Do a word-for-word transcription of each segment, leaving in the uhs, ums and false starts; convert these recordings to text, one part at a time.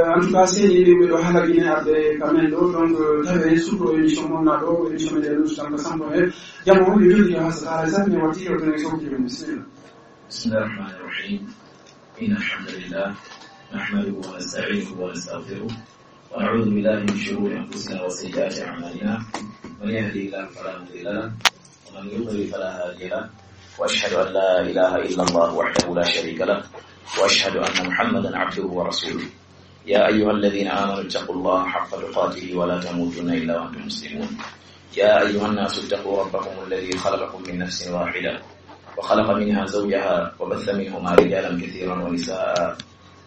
En tout cas, seni ɓe ɗo hala Guinée arde ka men ɗo, donc, euh, tawi en suuɗo émission mon na ɗo, émission men ɗo, nous sommes ensemble, eh. Jamo on, yo jodi yo hasa, ala sat, mi wati, yo tene sokki, bismillah. بسم الله الرحمن الرحيم. إن الحمد لله نحمده ونستعينه ونستغفره، ونعوذ بالله من شرور أنفسنا وسيئات أعمالنا. من يهده الله فلا مضل له، ومن يضلل فلا هادي له. وأشهد أن لا إله إلا الله وحده لا شريك له، وأشهد أن محمدا عبده ورسوله. يا أيها الذين آمنوا اتقوا الله حق تقاته ولا تموتن إلا وأنتم مسلمون. يا أيها الناس اتقوا ربكم الذي خلقكم من نفس واحدة وخلق منها زوجها وبث منهما رجالا كثيرا ونساء،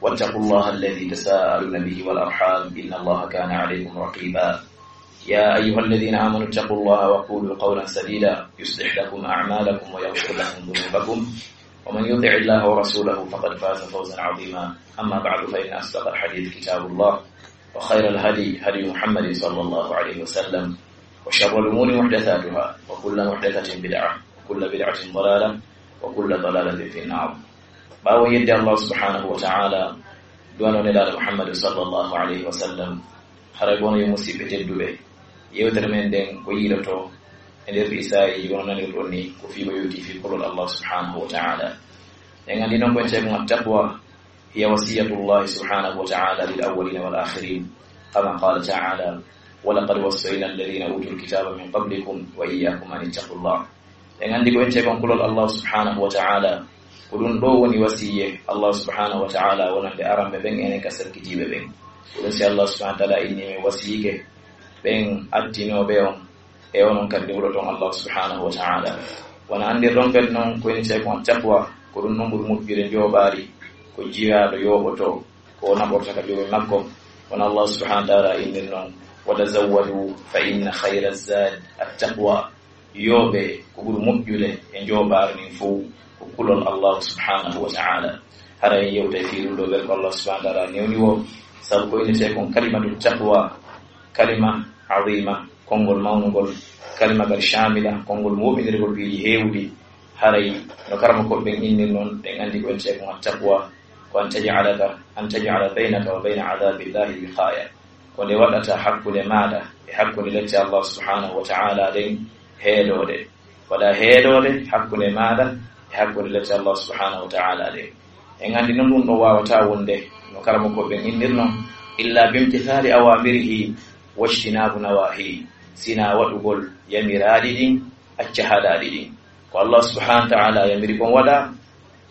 واتقوا الله الذي تساءلون به والأرحام، إن الله كان عليكم رقيبا. يا أيها الذين آمنوا اتقوا الله وقولوا قولا سديدا يصلح لكم أعمالكم ويغفر لكم ذنوبكم، ومن يطع الله ورسوله فقد فاز فوزا عظيما. أما بعد، فإن أصدق الحديث كتاب الله، وخير الهدي هدي محمد صلى الله عليه وسلم، وشر الأمور محدثاتها، وكل محدثة بدعة، وكل بدعة ضلالة، وكل ضلالة في النار. Ɓaawo yedde Allah subhanahu wa ta'ala, du'ano Nelaaɗo Muhammad sallallahu alayhi wa sallam, haray kono yo musiɓɓe tedduɓe, yewtere men nden ko yiiloto e nder ɗi saa'i, wano nanirɗon ni, ko fii ko yowti fii kulol Allah subhanahu wa ta'ala. En anndi non ko en ceekon attaqwa, هي وصية الله سبحانه وتعالى للأولين والآخرين، كما قال تعالى: ولقد وصينا الذين أوتوا الكتاب من قبلكم وإياكم أن اتقوا الله. En anndi ko en ceekon kulol Allah subhanahu wa ta'ala, ko ɗum ɗo woni wasiyye Allah subhanahu wa ta'ala wonande aranɓe ɓen enen ka sakkitiiɓe ɓen. Ko ɗum si Allah subhanahu wa ta'ala inni men wasiyike ɓen attinooɓe on e onon kadi huɗoton Allah subhanahu wa ta'ala. Wona anndirɗon kadi non ko en ceekon taqwa, ko ɗum non ɓuri moƴƴude njooɓaari, ko jiyaaɗo yooɓoto, ko o naɓorta ka joomi makko. Wona Allah subhanahu wa ta'ala innir non: وتزودوا فإن خير الزاد التقوى. Yooɓe, ko ɓuri moƴƴude e njooɓaari ndin fow ko kulol Allah subhanahu wa ta'ala. Hara en yewtay fii ɗum ɗo ɓer ko Allah subhanahu wa ta'ala newni wo, sabu ko innetee kon kalimatu taqwa, kalima azima, konngol mawnugol, kalima kadi shamila, konngol moɓindirgol piiji heewuɗi. Haray no karamokooɓe ɓen innir non, ɗen anndi ko innetee kon at-taqwa, ko an taj'alaka, an taj'ala baynaka wa bayna adhabillahi wiqaya. Ko nde waɗata hakkunde maaɗa e hakkunde lette Allah subhanahu wa ta'ala ɗen heedoode. Waɗa heedoode hakkunde maaɗa e hakkunde lette Allah subhanahu wa ta'ala ɗen. En anndi non ɗum ɗo waawataa wonde, no karamokooɓe ɓen innir non, illa bimtithali awamirihi wajtinabu nawahi, sina waɗugol yamiraaɗi ɗin, acca haɗaaɗi ɗin. Ko Allah subhanahu wa ta'ala yamiri kon waɗa,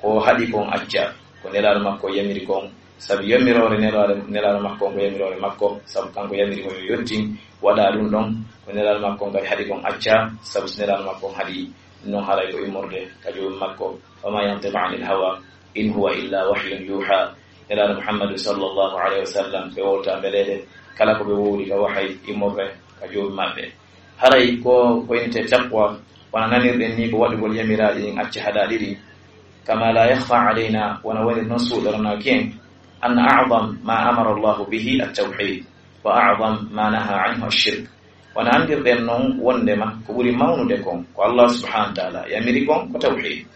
ko haɗi kon acca. Ko Nelaaɗo makko yamiri kon, sabu yamiroore Nelaaɗo, Nelaaɗo makko on ko yamiroore makko, sabu kanko yamiri ko yo yottin, waɗa ɗum ɗon. Ko Nelaaɗo makko on kadi haɗi kon acca, sabu si Nelaaɗo makko on haɗi non, haray ko immorde ka joomi makko. وما ينطق عن الهوى إن هو إلا وحي يوحى. Nelaaɗo Muhammadu sallallahu alayhi wa sallam, ɓe wowta mbeleeɗe, kala ko ɓe wowli ka wahay immorde ka joomi maɓɓe. Haray ko, ko innetee taqwa, wona nanirɗen ni ko waɗugol yamiraaɗi ɗin, acca haɗaaɗi ɗin. كما لا يخفى علينا, wona wonir non suuɗoranaaki en, أن أعظم ما أمر الله به التوحيد، وأعظم ما نهى عنه الشرك. Wona anndirɗen non wondema ko ɓuri mawnude kon, ko Allah subhanahu wa ta'ala yamiri kon ko tawhid.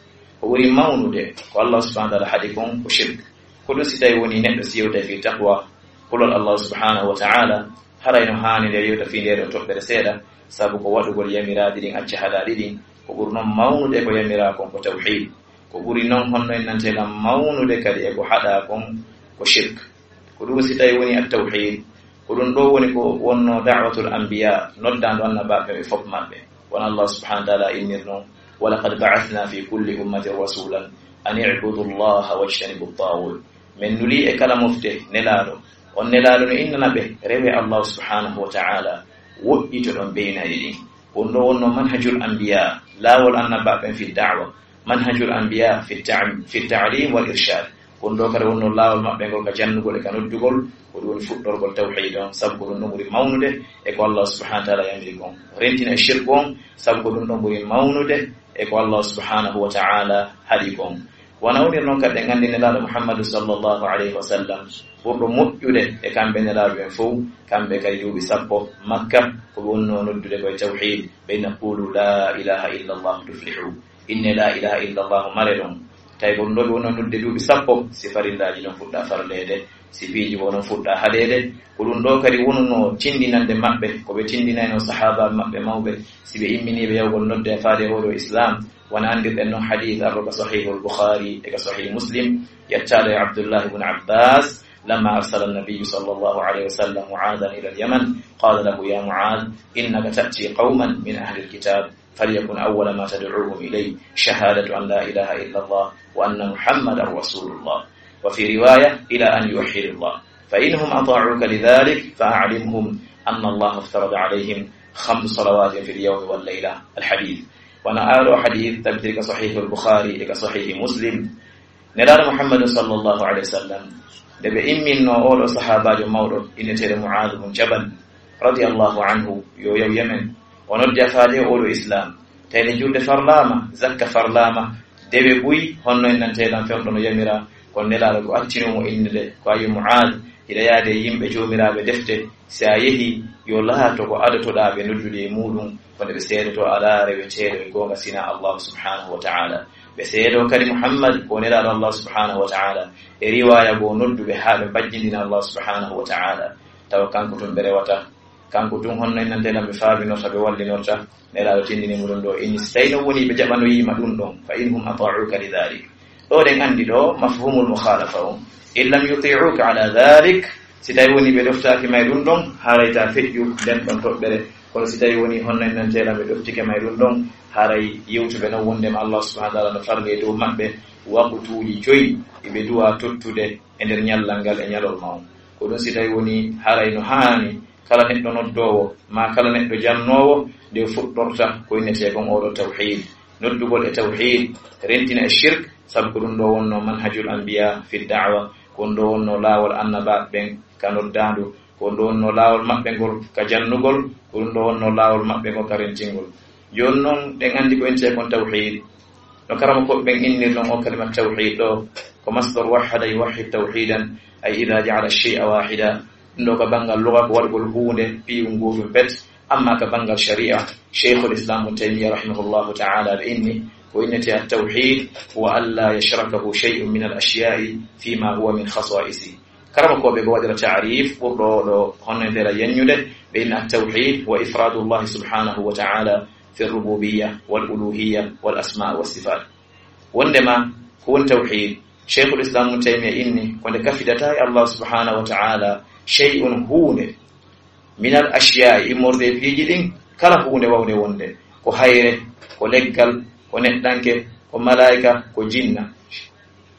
Ko ɓuri mawnude ko Allah subhanahu wa ta'ala haɗi kon ko shirk. Ko ɗum si tawi woni neɗɗo si yewtay fii taqwa, kulol Allah subhanahu wa ta'ala, haray no haani nde yewta fii nde ɗo toɓɓere seeɗa, sabu ko waɗugol yamiraaɗi ɗin, acca haɗaaɗi ɗin, ko ɓuri non mawnude ko yamiraa kon ko tawhid. Ko ɓuri non honno en nantee lan mawnude kadi e ko haɗaa kon ko shirk. Ko ɗum si tawi woni at-tawhid, ko ɗum ɗo woni ko wonno da'watul anbiya, noddaandu annabaaɓe ɓe fof maɓɓe. Wona Allah subhanahu wa ta'ala innir non: ولقد بعثنا في كل أمة رسولا أن اعبدوا الله واجتنبوا الطاغوت. Men nuli e kala mofte nelaaɗo. On nelaaɗo no innana ɓe, rewe Allah subhanahu wa ta'ala, woɗɗitoɗon beynaɗi ɗin. Ko ɗum ɗo wonno manhajul anbiya, laawol annabaaɓe ɓen fi da'wa, manhajul anbiya fi ta'am-, fi ta'lim wal irshad. Ko ɗum ɗo kadi wonno laawol maɓɓe ngol ka jannugol e ka noddugol, ko ɗum woni fuɗɗorgol tawhid on, sabu ko ɗum ɗon ɓuri mawnude e ko Allah subhanahu wa ta'ala yamiri kon. Rentina e shirku on, sabu ko ɗum ɗon ɓuri mawnude e ko Allah subhanahu wa ta'ala haɗi kon. Wona wonir non kadi en anndi Nelaaɗo Muhammadu sallallahu alayhi wa sallam, ɓurɗo moƴƴude e kamɓe nelaaɓe ɓen fow, kamɓe kay duuɓi sappo Makka, ko ɓe wonno noddude koye tawhid, ɓe inna: "Qulu la ilaha illa Allah tuflihu." Inne la ilaha illa Allah mare ɗon. Tawi ko ɗum ɗo ɓe wonno noddude duuɓi sappo, si farillaaji ɗon fuɗɗa farleede, Si piiji ko onon fuɗɗa haɗeede, ko ɗum ɗo kadi wonunoo tindinande maɓɓe, ko ɓe tindinayno sahaabaaɓe maɓɓe mawɓe, si ɓe imminiiɓe yawgol nodde e faade e oo ɗoo Islaam, wona anndirɗen non hadiis arɗo ka Sahihul Bukhari e ka Sahih Muslim, yettaaɗo e Abdullah ibn Abbas, لما أرسل النبي صلى الله عليه وسلم معاذا إلى اليمن قال له: يا معاذ، إنك تأتي قوما من أهل الكتاب، فليكن أول ما تدعوهم إليه شهادة أن لا إله إلا الله وأن محمدا رسول الله، وفي رواية: إلى أن يوحدوا الله، فإن هم أطاعوك لذلك فأعلمهم أن الله افترض عليهم خمس صلوات في اليوم والليلة. الحديث. Wano aaɗo hadiis tabitiri ka Sahihul Bukhari e ka Sahih Muslim, Nelaaɗo Muhammadun sallallahu alayhi wa sallam, nde ɓe imminno oo ɗoo sahaabaajo mawɗo inneteeɗo Mu'aaz bun Jabal, radiyallahu anhu, yo yaw Yemen, o noddi a faade oo ɗoo Islaam. Tawi nde julde farlaama, zakka farlaama, dewe buy, honno innanteeɗan fewndo no yamira, kono Nelaaɗo ko accinoo mo innde, ko a yo Mu'aaz, hiɗa yaade e yimɓe joomiraaɓe defte, si a yehi, yo laato ko adotoɗaa ɓe noddude e muuɗum, ko nde ɓe seedoto alaa reweteeɗo e goonga sinaa Allahu subhanahu wa ta'ala. Ɓe seedoo kadi Muhammad ko nelaaɗo Allah subhanahu wa ta'ala. E riwaaya goo nodduɓe haa ɓe mbajjindina Allah subhanahu wa ta'ala. Tawa kanko tun ɓe rewata. Kanko tun honno innanteeɗan ɓe faabinorta, ɓe wallinorta. Nelaaɗo tindini mo ɗum ɗo. Inni si tawi no woni ɓe jaɓanoyiima ɗum ɗon. Fa in hum ata'uka li dhalik. Ɗo ɗen anndi ɗo mafhumul mukhalafa on. In lam yuti'uka ala dhalik. Si tawi woni ɓe ɗoftaaki ma e ɗum ɗon, haray ta feƴƴu nden ɗon toɓɓere. Kono si tawi woni honno en nanteeɗan ɓe ɗoftike ma e ɗum ɗon, haray yewtuɓe non wondema Allah subhanahu wa ta'ala no farli e dow maɓɓe waqtuuji joyi ɗi ɓe duwa tottude e nder ñallal ngal e ñalorma on. Ko ɗum si tawi woni haray no haani kala neɗɗo noddoowo, maa kala neɗɗo jannoowo, nde fuɗɗorta ko innetee kon oo ɗoo tawhiid. Noddugol e tawhiid, rentina e shirk, sabu ko ɗum ɗoo wonnoo manhajul anbiya fi da'wa, ko ɗum ɗoo wonnoo laawol annabaaɓe ɓen ka noddaandu, ko ɗum ɗoo wonnoo laawol maɓɓe ngol ka jannugol, ko ɗum ɗoo wonnoo laawol maɓɓe ngol ka rentingol. Jooni non, ɗen anndi ko innetee kon tawhiid. No karamokooɓe ɓen innir non oo kalima tawhiid ɗoo, ko masdar wahhada yuwahhid tawhiidan, ay idha ja'ala shay'a wahida. Ɗum ɗoo ka banngal luga ko waɗugol huunde piiwun gootum pet, amma ka banngal shari'a, Shaykhul Islam Ibn Taymiyyah rahimahullahu ta'ala ɓe inni, ko innetee at-tawhiid huwa an la yashrakahu shay'un min al-ashya'i fima huwa min khasa'isi. Karamokooɓe ko waɗira ta'rif ɓurɗo oo ɗoo honno e mbela yeññude, ɓe inna at-tawhiid huwa ifraadullahi subhanahu wa ta'ala fi rububiyya wal uluhiyya wal asma wa sifaat. Wondema ko woni tawhiid, Shaykhul Islam Ibn Taymiyyah inni ko nde kafidata e Allah subhanahu wa ta'ala shay'un huunde, minal ashiyaa'i immorde e piiji ɗin, kala huunde wawnde wonde, ko hayre, ko leggal, ko neɗɗanke, ko malaa'ika, ko jinna.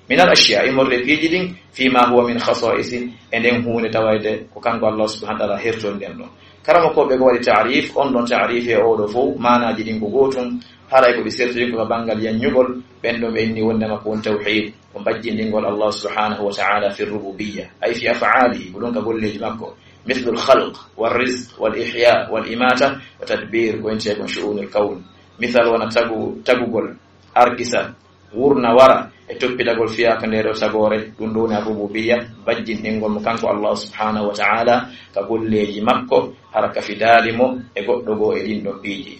Minal ashiya, immorde piiji ɗin, fima huwa min khasa'isi, e nden huunde tawayde ko kanko Allah subhanahu wa ta'ala hertori nden ɗon. Karamokooɓe ko waɗi ta'rif, on ɗon ta'rif e oo ɗoo fow, maanaaji ɗin ko gootun, haray ko ɗi sertiri ko ka banngal yanñugol, ɓen ɗon ɓe inni wondema ko woni tawhiid, ko mbajjindingol Allah subhanahu wa ta'ala fi rububiyya, ay fi af'aalihi, ko ɗum ka golleeji makko, mithlul khalq, wal rizq, wal ihya, wal imata, wa tadbir, ko intee kon shu'unul kawn. Misal wona tagu-, tagugol, arkisa, wurna wara e toppitagol fiyaaka ndee ɗoo tagoore, ɗum ɗoo woni ar-rububiyya, bajjinɗingol mo kanko Allah subhanahu wa ta'ala ka golleeji makko, hara kafidaali mo e goɗɗo goo e ɗin ɗon piiji.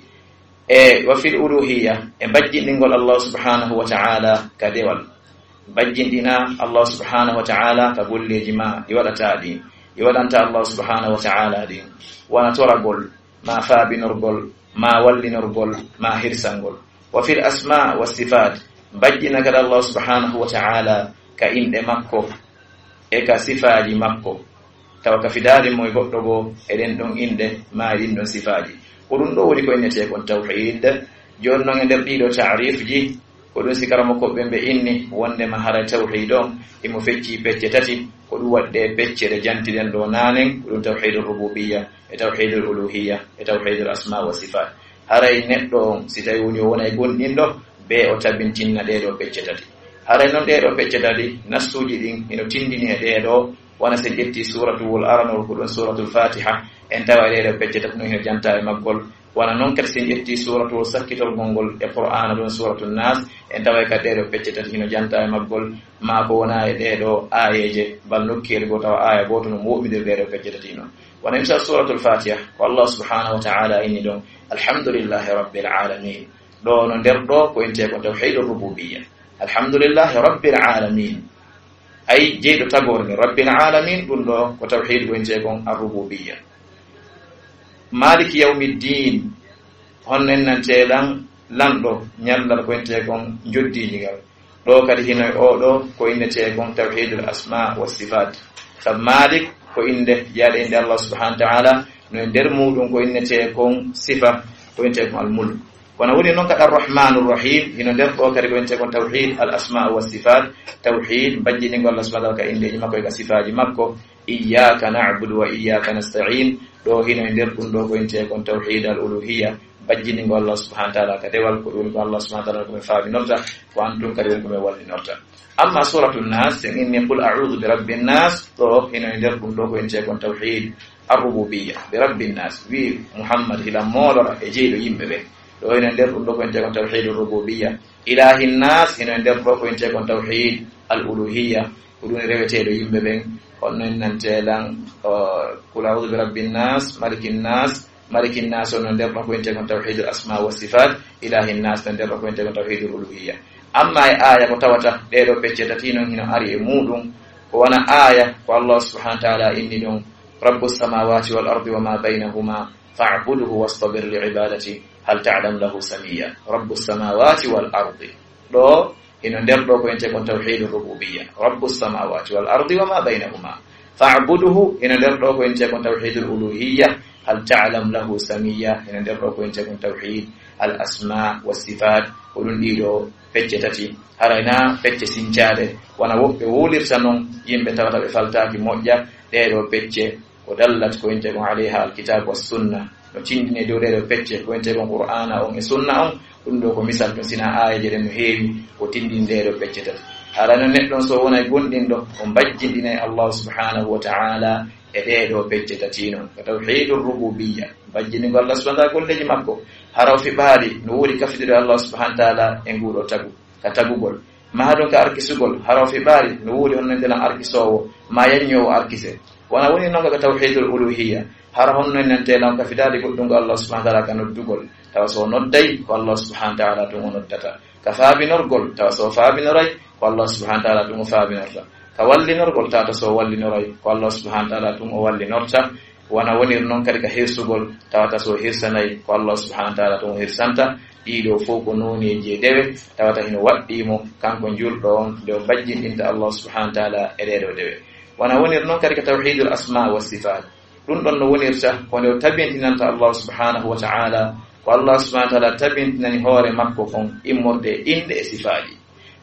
E wa fil uluhiyya, e bajjinɗingol Allah subhanahu wa ta'ala ka dewal. Bajjinɗina Allah subhanahu wa ta'ala ka golleeji ma ɗi waɗata ɗin, ɗi waɗanta Allah subhanahu wa ta'ala ɗin. Wona toragol, ma faabinorgol, ma wallinorgol, ma hirsangol. Wa fil asma wa sifat, bajjina kadi Allah subhanahu wa ta'ala ka inɗe makko e ka sifaaji makko. Tawa kafidaali mo e goɗɗo goo e ɗen ɗon inɗe ma e ɗin ɗon sifaaji. Ko ɗum ɗoo woni ko innetee kon tawhiid. Jooni non e nder ɗii ɗoo ta'rifji, ko ɗum si karamokooɓe ɓen ɓe inni wondema haray tawhiid on himo feccii pecce tati, ko ɗum waɗi ɗee pecce ɗe jantiɗen ɗoo naanen, ko ɗum tawhiidul rububiyya, e tawhiidul uluhiyya, e tawhiidul asma wa sifaat. Haray neɗɗo on, si tawi woni o wonay gomɗinɗo, bee o tabintinna ɗee ɗoo pecce tati. Haray non ɗee ɗoo pecce tati, nassuuji ɗin hino tindini e ɗee ɗoo, wona si en ƴetti suuratuwol aranol, ko ɗum suuratul Faatiha, en tawa ɗee ɗoo pecce tati non hino janta e maggol. Wona non kadi si en ƴetti suuratuwol sakkitol ngol ngol e Qur'aana, ɗum Suuratu Naas, en taway kadi ɗee ɗoo pecce tati hino janta e maggol, maa ko wona e ɗee ɗoo aayeeje, bal nokkeeli goo tawa aaya gooto no moɓɓindiri ɗee ɗoo pecce tati non. Wona misal Suuratul Faatiha, ko Allah subhanahu wa ta'ala inni ɗon, "Alhamdulillahi rabbil alamin." Ɗoo no nder ɗoo ko intee ko tawhiidur rububiyya. "Alhamdulillahi rabbil alamin." Ay jeyɗo tagoore nde, Rabbil Alamin, ɗum ɗo ko tawhiid ko wi'etee kon ar-rububiyya. Maliki yawmiddin, honno en nantee lan lanɗo ñallal ko wi'etee kon njoddiiji ngal. Ɗo kadi hino e oo ɗo ko innetee kon tawhiidul asma wa sifaat. Sabu Malik ko innde, yaade innde Allah subhanahu wa ta'ala, no e nder muuɗum ko innetee kon sifa, ko wi'etee kon al mulk. Kono woni noon kadi Ar-Rahmaanur Rahiim, hino nder ɗo kadi ko wi'etee kon tawhiid al asmaa wa sifaat, tawhiid mbajjiningol Allah subhanahu wa ta'ala ka inndeeji makko e ka sifaaji makko. Iyyaaka na'budu wa iyyaaka nasta'iin, ɗo hino e nder ɗum ɗo ko wi'etee kon tawhiid al uluhiyya, mbajjiningol Allah subhanahu wa ta'ala ka dewal, ko ɗum ko Allah subhanahu wa ta'ala ko mi faabinorta, ko an tun kadi woni ko mi wallinorta. Amma Suuratu Naas, sen inni qul a'uudu bi rabbin naas, ɗo hino e nder ɗum ɗo ko wi'etee kon tawhiid ar-rububiyya, bi rabbin naas, wi Muhammad hila moolora e jeyɗo yimɓe ɓen. Ɗo hino e nder ɗum ɗo ko wi'etee kon tawhiidur rububiyya. Ilaahin naas, hino e nder ɗo ko wi'etee kon tawhiid al uluhiyya. Ko ɗum reweteeɗo yimɓe ɓen, honno en nantee lan, o, qul a'uudu bi rabbin naas, malikin naas, malikin naas on no nder ɗon ko wi'etee kon tawhiidul asmaa wa sifaat, ilaahin naas no nder ɗon ko wi'etee kon tawhiidul uluhiyya. Amma e aaya ko tawata ɗee ɗoo pecce tati non hino ari e muuɗum, ko wona aaya ko Allah subhanahu wa ta'ala inni ɗon, rabbus samaawaati wal ardi wa maa baynahumaa fa'budhu wastabir li ibaadati hal ta'lamu lahu samiyya. Rabbus samaawaati wal ardi. Ɗo hino nder ɗo ko wi'etee kon tawhiidur rububiyya. Rabbus samaawaati wal ardi wa maa baynahumaa. Fa'budhu, hino nder ɗo ko wi'etee kon tawhiidul uluhiyya. Hal ta'lamu lahu samiyya, hino nder ɗo ko wi'etee kon tawhiid al asmaa wa sifaat. Ko ɗum ɗii ɗoo pecce tati. Haray na pecce sincaade, wona woɓɓe wowlirta non yimɓe tawata ɓe faltaaki moƴƴa ɗee ɗoo pecce. Ko dallat ko wi'etee kon alayha alkitaab wa sunna. No tindini e dow ɗee ɗoo pecce ko wi'etee kon Qur'aana on e sunna on. Ɗum ɗoo ko misal tun, sina aayeeje ɗen no heewi ko tindini ɗee ɗoo pecce tati. Haray no neɗɗo on so wonay gomɗinɗo, o mbajjinɗinay Allah subhanahu wa ta'ala e ɗee ɗoo pecce tati non. Ko tawhiidur rububiyya, mbajjiningol Allah subhanahu wa ta'ala golleeji makko. Hara o fiɓaali no woodi kafidude Allah subhanahu wa ta'ala e nguu ɗoo tagu, ka tagugol. Maa haɗum ka arkisugol, hara o fiɓaali no woodi honno ndelan arkisoowo, maa yanñoowo arkise. Wona woni non ka tawhiidul uluhiyya, hara honno en nantee lan ka fidaade goɗɗungol Allah subhanahu wa ta'ala ka noddugol. Tawa so o nodday, ko Allah subhanahu wa ta'ala tun o noddata. Ka faabinorgol, tawa so o faabinoray, ko Allah subhanahu wa ta'ala tun o faabinorta. Ka wallinorgol, tawata so o wallinoray, ko Allah subhanahu wa ta'ala tun o wallinorta. Wona wonir non kadi ka hirsugol, tawata so o hirsanay, ko Allah subhanahu wa ta'ala tun o hirsanta. Ɗii ɗoo fow ko nooneeji e dewe, tawata hino waɗɗii mo, kanko njulɗo on, nde o mbajjinɗinta Allah subhanahu wa ta'ala e ɗee ɗoo dewe. Wona wonir non kadi ka tawhiidul asmaa wa sifaat. Ɗum ɗon no wonirta ko nde o tabintinanta Allah subhanahu wa ta'ala, ko Allah subhanahu wa ta'ala tabintinani hoore makko kon immorde e innde e sifaaji.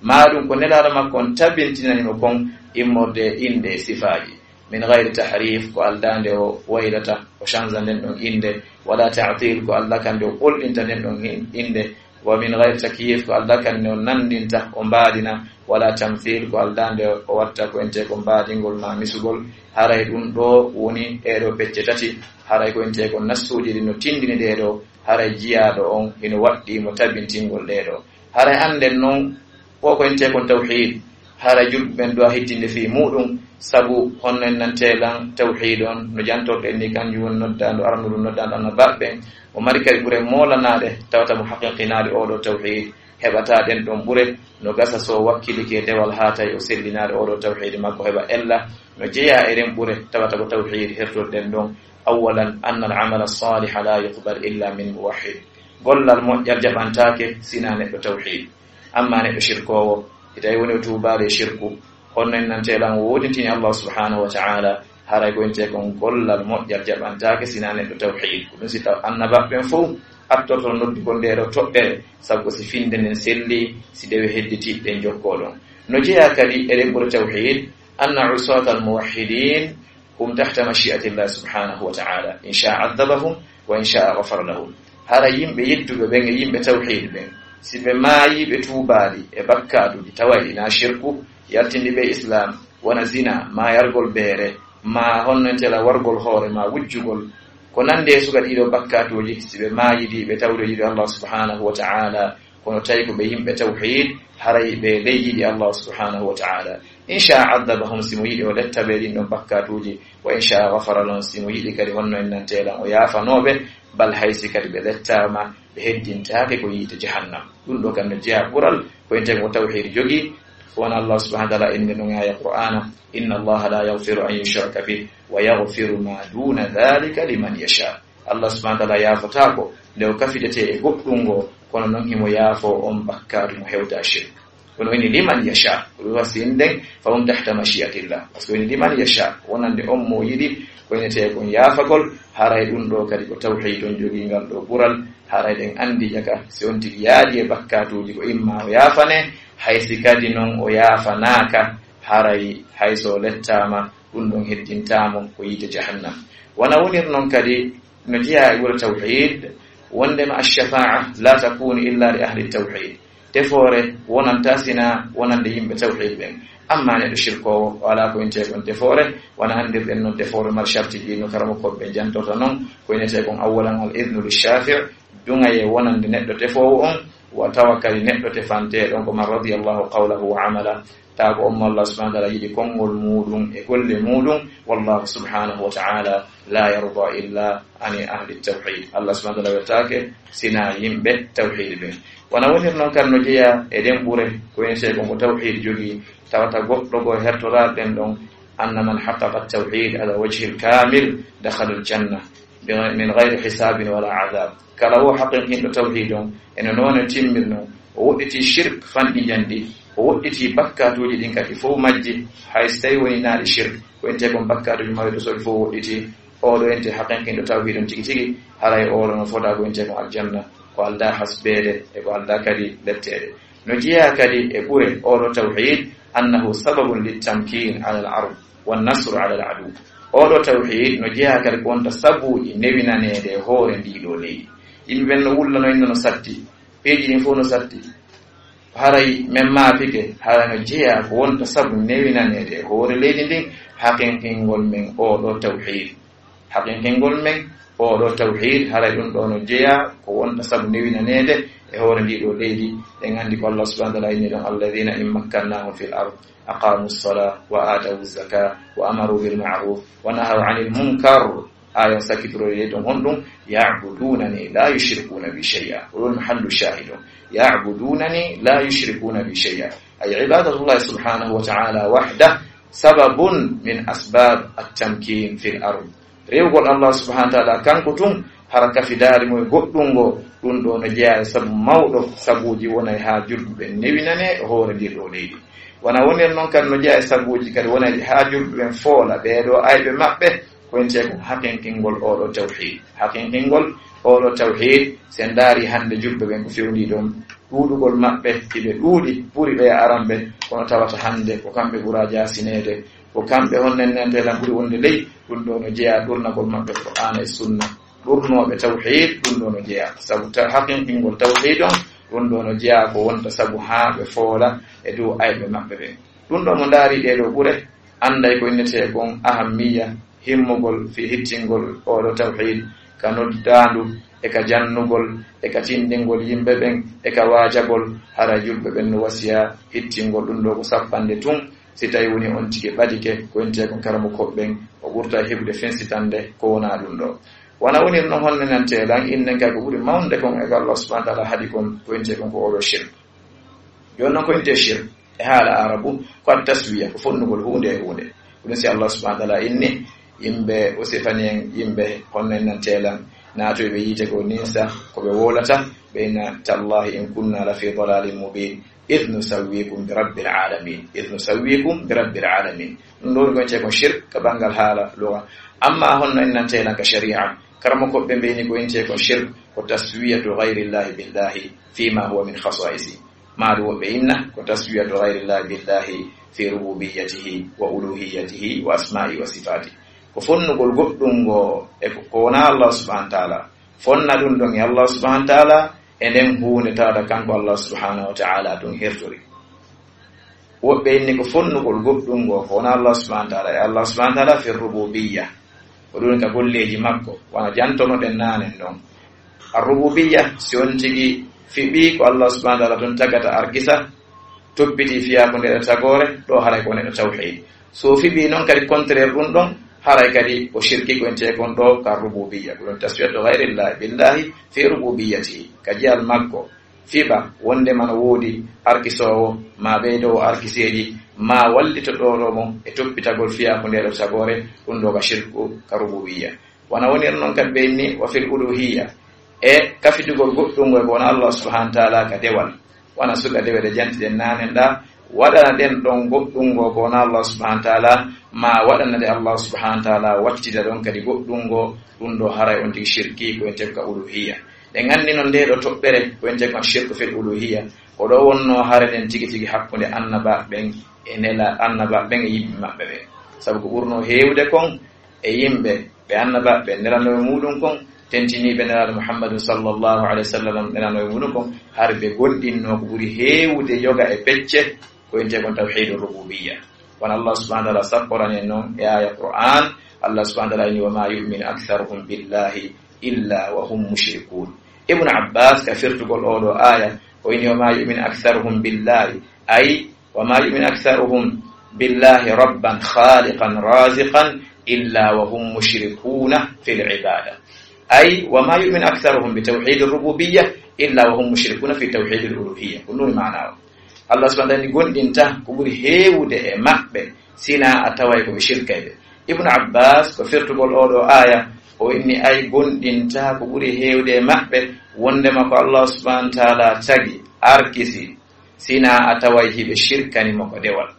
Maa ɗum ko Nelaaɗo makko on tabintinani mo kon immorde e innde e sifaaji. Min gayri tahrif, ko aldaa nde o waylata, o chanza nden ɗon innde, wala ta'til, ko aldaa kan nde o ɓolɗinta nden ɗon hin-, innde, wa min gayri takyif, ko aldaa kan nde o nanndinta, o mbaadina, wala tamthil, ko aldaa nde o watta ko wi'etee kon mbaadingol maa misugol. Haray ɗum ɗoo woni ɗee ɗoo pecce tati, haray ko wi'etee kon nassuuji ɗin no tindini ɗee ɗoo, haray jiyaaɗo on hino waɗɗii mo tabintingol ɗee ɗoo. Haray annden non, ko ko wi'etee kon tawhiid, haray julɓe ɓen ɗoo a hittinde fii muuɗum, sabu honno en nantee lan tawhiid on, no jantorɗen ni, kanjum woni noddaandu arandu ɗum noddaandu annabaaɓe ɓen. O mari kadi ɓure moolanaade, tawata mo haqiqinaade oo ɗoo tawhiid, heɓataa ɗen ɗon ɓure, no gasa so o wakkilike dewal haa tawi o sellinaade oo ɗoo tawhiid makko heɓa ella, no jeyaa e ɗen ɓure, tawata ko tawhiid hertorɗen ɗon. Awwalan, anna al amala saaliha la yuqbal illa min muwahhid. Gollal moƴƴal jaɓantaake sinaa neɗɗo tawhiid. Amma neɗɗo shirkoowo, si tawi woni o tuubaali e shirku, honno en nantee lan o woodintini Allah subhanahu wa ta'ala, haray ko wi'etee kon gollal moƴƴal jaɓantaake sinaa neɗɗo tawhiid. Ko ɗum si taw annabaaɓe ɓen fow attorto noddugol ndee ɗoo toɓɓere, sabu ko si finnde nden selli, si dewe hedditi ɗen jokkoo ɗon. No jeyaa kadi e ɗen ɓure tawhiid, anna usaata al muwahhidin hum tahta mashi'atillah subhanahu wa ta'ala. In sha'a adhabahum wa in sha'a ghafara lahum. Hara yimɓe yedduɓe ɓen e yimɓe tawhiid ɓen, si ɓe maayii ɓe tuubaali e bakkaatuuji tawa e ɗi na shirku, yaltindi ɓe Islaam, wona zina, maa yargol beere, maa honno wi'etee lan wargol hoore, maa wujjugol, ko nandi e suka ɗii ɗoo bakkaatuuji, si ɓe maayidii ɓe tawde yiɗi Allah subhanahu wa ta'ala, kono tawi ko ɓe yimɓe tawhiid, haray ɓe ley yiɗi Allah subhanahu wa ta'ala. In sha'a adhabahum, si mo yiɗi o letta ɓe ɗin ɗon bakkaatuuji, wa in sha'a ghafara lahum, si mo yiɗi kadi honno en nantee lan o yaafanoo ɓe, bal hay si kadi ɓe lettaama, ɓe heddintaake ko yiite jahannam. Ɗum ɗoo kan no jeyaa ɓural ko wi'etee kon tawhiid jogii, Wona Allah subhanahu wa ta'ala inni ɗum aya Qur'ana, "Inna Allah la yaghfiru an yushraka bih wa yaghfiru ma duna dhalika liman yasha." Allah subhanahu wa ta'ala yaafotaako nde o kafidete e goɗɗum ngo, kono noon himo yaafo on bakkaatu mo hewta shirk. Kono ini liman yasha, ko ɗum wasi inden, fa hum tahta mashi'atillah. Parce que ini liman yasha, wonande on mo yiɗi, ko inete kon yaafagol, haray ɗum ɗo kadi ko tawhid on jogii ngal ɗo ɓural, haray ɗen anndi jaka, si on tigi yaadi e bakkaatuuji ko imma o yaafane, hay si kadi noon o yaafanaaka, haray hay so o lettaama, ɗum ɗon heddintaamo ko yiite jahannam. Wona wonir noon kadi no jeyaa e wuro tawhid, wondema ash-shafa'a la takunu illa li ahli tawhid. Tefoore wonanta sina wonande yimɓe tawhid ɓen. Amma neɗɗo shirkoowo, o alaa ko intee kon tefoore, wona anndirɗen noon tefoore mar sharti ɗi no karamo koɓɓe jantorta noon, ko inetee kon awwalan al idnu li shafi', duŋayee wonande neɗɗo tefoowo on, wa tawa kadi neɗɗo tefanteeɗo on ko man radiyallahu qawlahu wa amala, tawa ko on mo Allah subhanahu wa ta'ala yiɗi konngol muuɗum e golle muuɗum, wallahu subhanahu wa ta'ala la yarda illa ani ahli tawhid. Allah subhanahu wa ta'ala weltaake sina yimɓe tawhid ɓe. Wona wonir noon kan no jeyaa e ɗen ɓure, ko en sey ko tawhid jogii, tawata goɗɗo goo hertoraade ɗen ɗon, anna man haqqaqa tawhid ala wajhi al kamil dakhala al janna min ghayri hisabin wala adab. Kala wo haqiqinɗo tawhid on, eno noone timmirno, o woɗɗiti shirk fanɗi njandi, o woɗɗiti bakkatuuji ɗin kadi fof majji, hay so tawi woni naali shirk, ko ente kon bakkatuuji mawɗi ɗo sori fof woɗɗiti, oɗo ente haqiqinɗo tawhid on tigi tigi, haray oɗo no fota ko ente kon aljanna, ko alda hasbeede e ko alda kadi letteede. No jeyaa kadi e ɓure oɗo tawhid, annahu sababun littamkin ala al ard wa nasru ala al adu. Oɗo tawhid no jeyaa kadi ko wonta sabuuji newinaneede e hoore ndii ɗoo leydi. Yimɓe ɓen no wullano inno no satti, peeji ɗin fof no satti. Haray men maafike, haray no jeyaa ko wonta sabu newinaneede e hoore leydi ndin, haqiqingol men oɗo tawhid. Haqiqingol men oɗo tawhid, haray ɗum ɗoo no jeyaa ko wonta sabu newinaneede e hoore ndii ɗoo leydi. En anndi ko Allah subhanahu wa ta'ala inni ɗon, "Alladhina in makkannahum fil ard aqamu as-salah wa atawu az-zakah wa amaru bil ma'ruf wa nahaw anil munkar." Aaya on sakkitoro e ɗon honɗum, "Ya'budunani la yushrikuna bi shay'a." Ko ɗon mahallu shahidun. "Ya'budunani la yushrikuna bi shay'a." Ay ibadatullah subhanahu wa ta'ala wahda sababun min asbab at-tamkin fil ard. Rewgol Allah subhanahu wa ta'ala kanko tun, hara kafidaari mo e goɗɗum ngo, ɗum ɗoo no jeyaa e sabu mawɗo sabuuji wonay haa julɓe ɓen newinane hoore ndir ɗoo leydi. Wona wonir noon kadi no jeyaa e sabuuji kadi wonay haa julɓe ɓen foola ɓee ɗoo ayɓe maɓɓe, ko entee ko haqiqingol oɗo tawhid. Haqiqingol oɗo tawhid, si en ndaari hannde julɓe ɓen ko fewndii ɗon, ɗuuɗugol maɓɓe, hiɓe ɗuuɗi, ɓuri ɓe e aran ɓe, kono tawata hannde ko kamɓe ɓura jaasineede, ko kamɓe honno en nantee lan ɓuri wonde ley, ɗum ɗoo no jeyaa ɗurnagol maɓɓe Qur'aana e Sunna. Ɗurnooɓe tawhid, ɗum ɗoo no jeyaa. Sabu ta-, haqiqingol tawhid on, ɗum ɗoo no jeyaa ko wonta sabu haa ɓe foola e dow ayɓe maɓɓe ɓen. Ɗum ɗoo mo ndaari ɗee ɗoo ɓure, annday ko innetee kon ahammiya, himmugol fii hittingol oɗo tawhid, ka noddaandu, e ka jannugol, e ka tinndingol yimɓe ɓen, e ka waajagol, hara julɓe ɓen no wasiya hittingol ɗum ɗoo ko sappande tun, si tawi woni on tigi ɓadike, ko entee kon karamokooɓe ɓen, o ɓurta heɓude fensitande ko wonaa ɗum ɗoo. Wona wonir no honno nantee lan, innen kay ko ɓuri mawnde kon e ko Allah subhanahu wa ta'ala haɗi kon, ko entee kon ko oɗo shirk. Jooni noon ko intee shirk e haala Arabu, ko at taswiya, ko fonnugol huunde e huunde. Ko ɗum si Allah subhanahu wa ta'ala inni, yimɓe, o sifani en yimɓe honno en nantee lan, naatoyɓe yiite ko ninsa, ko ɓe wowlata, ɓe inna, "Tallahi in kunna la fi dalalin mubin, idh nusawwikum bi rabbil alamin, idh nusawwikum bi rabbil alamin." Ɗum ɗoo ko intee kon shirk ka banngal haala luga. Amma honno en nantee lan ka shari'a, karamokooɓe ɓe mbiyni ko intee kon shirk, ko taswiyatu ghayrillahi billahi fima huwa min khasa'isi. Maa ɗum woɓɓe inna ko taswiyatu ghayrillahi billahi fi rububiyyatihi wa uluhiyyatihi wa asma'i wa sifati. Ko fonnugol goɗɗum ngo e ko, ko wonaa Allah subhanahu wa ta'ala. Fonna ɗum ɗon e Allah subhanahu wa ta'ala e nden huunde tawata kanko Allah subhanahu wa ta'ala ɗum hertori. Woɓɓe inni ko fonnugol goɗɗum ngo ko wonaa Allah subhanahu wa ta'ala e Allah subhanahu wa ta'ala fi rububiyya. Ko ɗum ka golleeji makko, wano jantonoɗen naanen ɗon. Ar-rububiyya, si on tigi fiɓii ko Allah subhanahu wa ta'ala tun tagata argisa, toppiti fiyaa ko nder tagoore, ɗo haray ko neɗɗo tawhid. So fiɓii noon kadi contraire ɗum ɗon, haray kadi ko shirki ko entee kon ɗo ka rububiyya. Ko ɗum taswiyatu ghayrillahi billahi fi rububiyyatihi. Ka jiyal makko, Fiɓa wonde mana woodi arkisoowo, ma ɓeydoowo arkiseeji, ma wallito ɗoɗo mo e toppitagol fiyaaku nde ɗo tagoore, ɗum ɗo ka shirku ka rububiyya. Wona wonir noon kadi ɓe inni wa fil uluhiyya, e kafidugol goɗɗungo e ko wona Allah subhanahu wa ta'ala ka dewal. Wona suka dewe ɗe jantiɗen nanen ɗa, waɗana ɗen ɗon goɗɗungo ko wona Allah subhanahu wa ta'ala, ma waɗana ɗe Allah subhanahu wa ta'ala wattida ɗon kadi goɗɗungo, ɗum ɗo haray on tigi shirki ko en teg ka uluhiyya. Ɗen anndi noon nde ɗo toɓɓere ko en teg on shirku fil uluhiyya. Ko ɗo wonno hare ɗen tigi tigi hakkunde annaba ɓen e nela annaba ɓen e yimɓe maɓɓe ɓen. Sabu ko ɓurno heewde kon e yimɓe ɓe annaba ɓe nelano e muɗum kon, tentiniiɓe nelaaɗo Muhammadu sallallahu alaihi wasallam nelano e muɗum kon, har ɓe gonɗinno ko ɓuri heewde yoga e pecce ko en teg on tawhidu rububiyya. Won Allah subhanahu wa ta'ala sapporani en noon e aya Qur'an, Allah subhanahu wa ta'ala inni wa ma yu'minu aktharuhum billahi illa wa hum mushrikun. Ibn Abbas ka firtugol oɗo aya o inni wa ma yu'minu aktharuhum billahi, ay wa ma yu'minu aktharuhum billahi rabban khaliqan raziqan illa wa hum mushrikuna fil ibada. Ay wa ma yu'minu aktharuhum bi tawhidir rububiyya illa wa hum mushrikuna fi tawhidil uluhiyya. Ko ɗum maana o. Allah subhanahu wa ta'ala gonɗinta ko ɓuri heewde e maɓɓe sina a taway ko ɓe shirkayɓe. Ibn Abbas ko firtugol oɗo aya o inni ay gonɗinta ko ɓuri heewde e maɓɓe wondema ko Allah subhanahu wa ta'ala tagi arkisi sina a taway hiɓe shirkani mo ko dewal.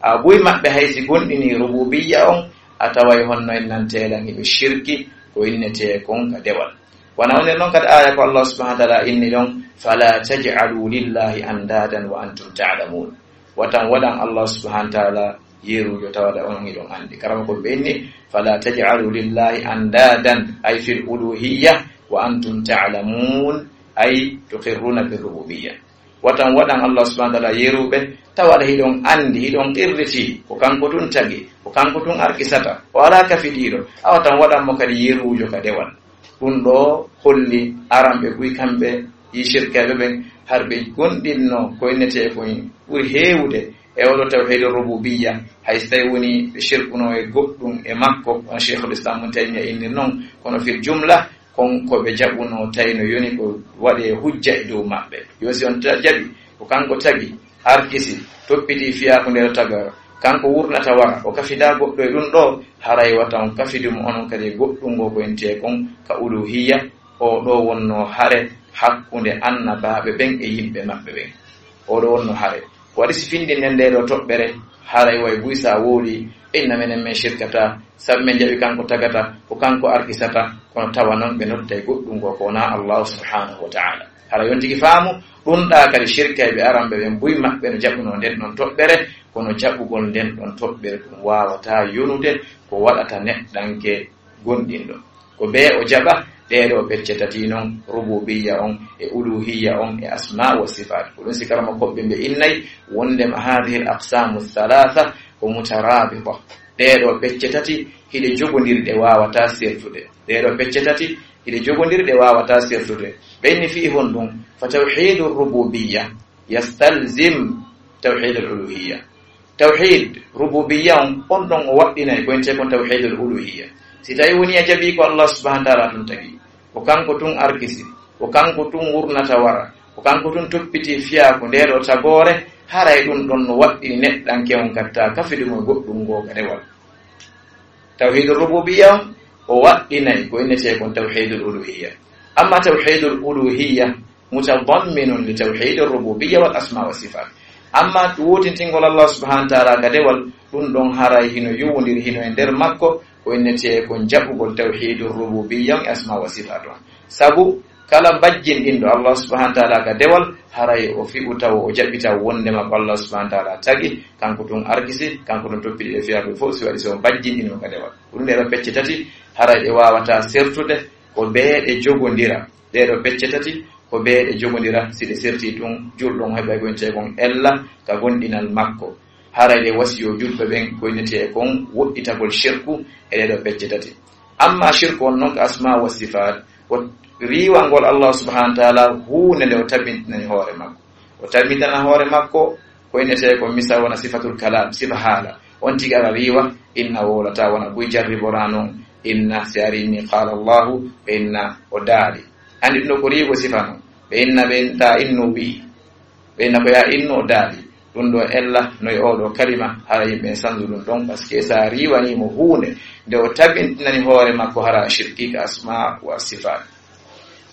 A buy maɓɓe hay si gonɗini rububiyya on a taway honno en nantelan hiɓe shirki ko innete kon ka dewal. Wona wonir noon kadi aya ko Allah subhanahu wa ta'ala inni ɗon fala taj'alu lillahi andadan wa antum ta'lamun. Watan waɗan Allah subhanahu wa ta'ala yerujo tawada on hiɗon anndi karama ko ɓe inni fala taj'alu lillahi andadan ay fil uluhiyya wa antum ta'lamun ay tuqirruna bir rububiyya. Watan waɗan Allah subhanahu wa ta'ala yeruɓe tawaɗa hiɗon anndi hiɗon qirriti ko kanko tun tagi ko kanko tun arkisata o ala kafidiɗo a watan waɗan mo kadi yerujo ka dewal. Ɗum ɗo holli aran ɓe buy kamɓe yi shirkeɓe ɓen har ɓe gonɗinno ko innete ko ɓuri heewude e oɗo tawhidu rububiyya. Hay so tawi woni ɓe shirkuno e goɗɗum e makko on cheikhul islam mun taymiya inni noon kono fil jumla kon ko ɓe jaɓuno tawi no yoni ko waɗe hujja e dow maɓɓe. Yo si on jaɓi ko kanko tagi arkisi toppiti fiyaku nde taga kanko wurnata wara o kafida goɗɗo e ɗum ɗo haray wata on kafidu mo onon kadi e goɗɗum ngo ko ente kon ka uluhiyya. O ɗo wonno hare hakkunde annabaaɓe ɓen e yimɓe maɓɓe ɓen. O ɗo wonno hare waɗi si findinden nde ɗo toɓɓere haray way buy sa wooli inna menen men shirkata sabu men jaɓi kanko tagata ko kanko arkisata kono tawa noon ɓe nottay goɗɗum ngo ko wona allahu subhanahu wa ta'ala. Hara yontigi faamu ɗum ɗa kadi shirkayɓe aranɓe ɓen buy maɓɓe no jaɓuno nden ɗon toɓɓere kono jaɓugol nden ɗon toɓɓere ɗum wawata yonude ko waɗata neɗɗanke gonɗinɗo ko be o jaɓa. Ɗeɗo pecce tati noon rububiyya on e uluhiyya on e asma wa sifat ko ɗum si karama koɓɓe mbe innay wondema hadihi l aqsamu thalatha ko mutarabita. Ɗeɗo pecce tati hiɗe jogondirɗe wawata sertude. Ɗeɗo pecce tati hiɗe jogondirɗe wawata sertude. Ɓenni fii honɗum fa tawhidu rububiyya yastalzim tawhid al uluhiyya. Tawhid rububiyya on on ɗon o waɗɗinay ko ente kon tawhid al uluhiyya. Si tawi woni a jaɓi ko allah subhanahu wa taala tun tagi ko kanko tun arkisi ko kanko tun wurnata wara ko kanko tun toppiti fiyaku nde ɗo tagoore haray ɗum ɗon no waɗɗini neɗɗanke on katta kafidu mo goɗɗum ngo ka dewal. Tawhidul rububiyya on o waɗɗinay ko innete kon tawhidul uluhiyya. Amma tawhidul uluhiyya mutadamminun li tawhidir rububiyya wal asma wa sifat. Amma wotintingol allah subhanahu wa taala ka dewal ɗum ɗon haray hino yowondiri hino e nder makko ko innete kon jaɓugol tawhidur rububiyya on e asma wa sifat on. Sabu kala bajjinɗinɗo allah subhanahu wa taala ka dewal haray o fi'u taw o jaɓi taw wondema ko allah subhanahu wa taala tagi kanko tun arkisi kanko tun toppiɗi ɗe fiyaɓe fof si waɗi so bajjinɗinmo ka dewal. Ɗum ɗeɗo pecce tati haray ɗe wawata sertude ko beeɗe jogodira. Ɗeɗo pecce tati ko beeɗe jogodira si ɗe serti tun julɗon heɓay gonte kon ella ka gonɗinal makko. Haray ɗe wasiyo julɓe ɓen ko innete e kon woɗɗitagol shirku e ɗeɗo pecce tati. Amma shirku on noon ko asma wa sifat ko riiwangol allah subhanahu wa taala huunde nde o tabintinani hoore makko. O tabintinana hoore makko ko innete ko misal wona sifatul kalam sifa haala. On tigi ara riiwa inna wowlata wona buy jarribora noon inna si ari inni qala allahu ɓe inna o daali. Andi ɗum ɗo ko riigo sifa noon. Ɓe inna ɓe inta innu wi'i. Ɓe inna ko ya innu o daali. Ɗum ɗo ella no e oɗo kalima hara yimɓe en sanzu ɗum ɗon, parce que sa riiwani mo huunde nde o tabintinani hoore makko hara shirki ka asma wa sifat.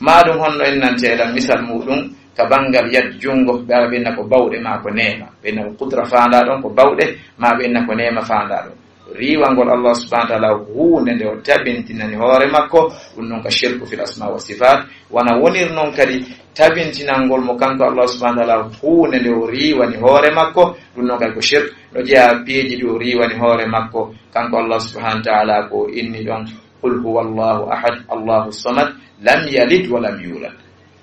Ma ɗum honno en nante eɗan misal muɗum ka bangal yad jungo, ɓe ara ɓe inna ko bawɗe ma ko neema. Ɓe inna ko kudra faanda ɗon ko bawɗe, ma ɓe inna ko neema faanda ɗon. Riiwangol Allah subhanahu wa ta'ala huunde nde o tabintinani hoore makko, ɗum non ka shirku fil asma wa sifat. Wana wonir non kadi tabintinangol mo kanko Allah subhanahu wa ta'ala huunde nde o riiwani hoore makko, ɗum non kadi ko shirk. No jeya piiji ɗi o riiwani hoore makko kanko Allah subhanahu wa ta'ala ko inni ɗon, "Qul huwa Allahu ahad, Allahu samad, lam yalid wa lam yulad."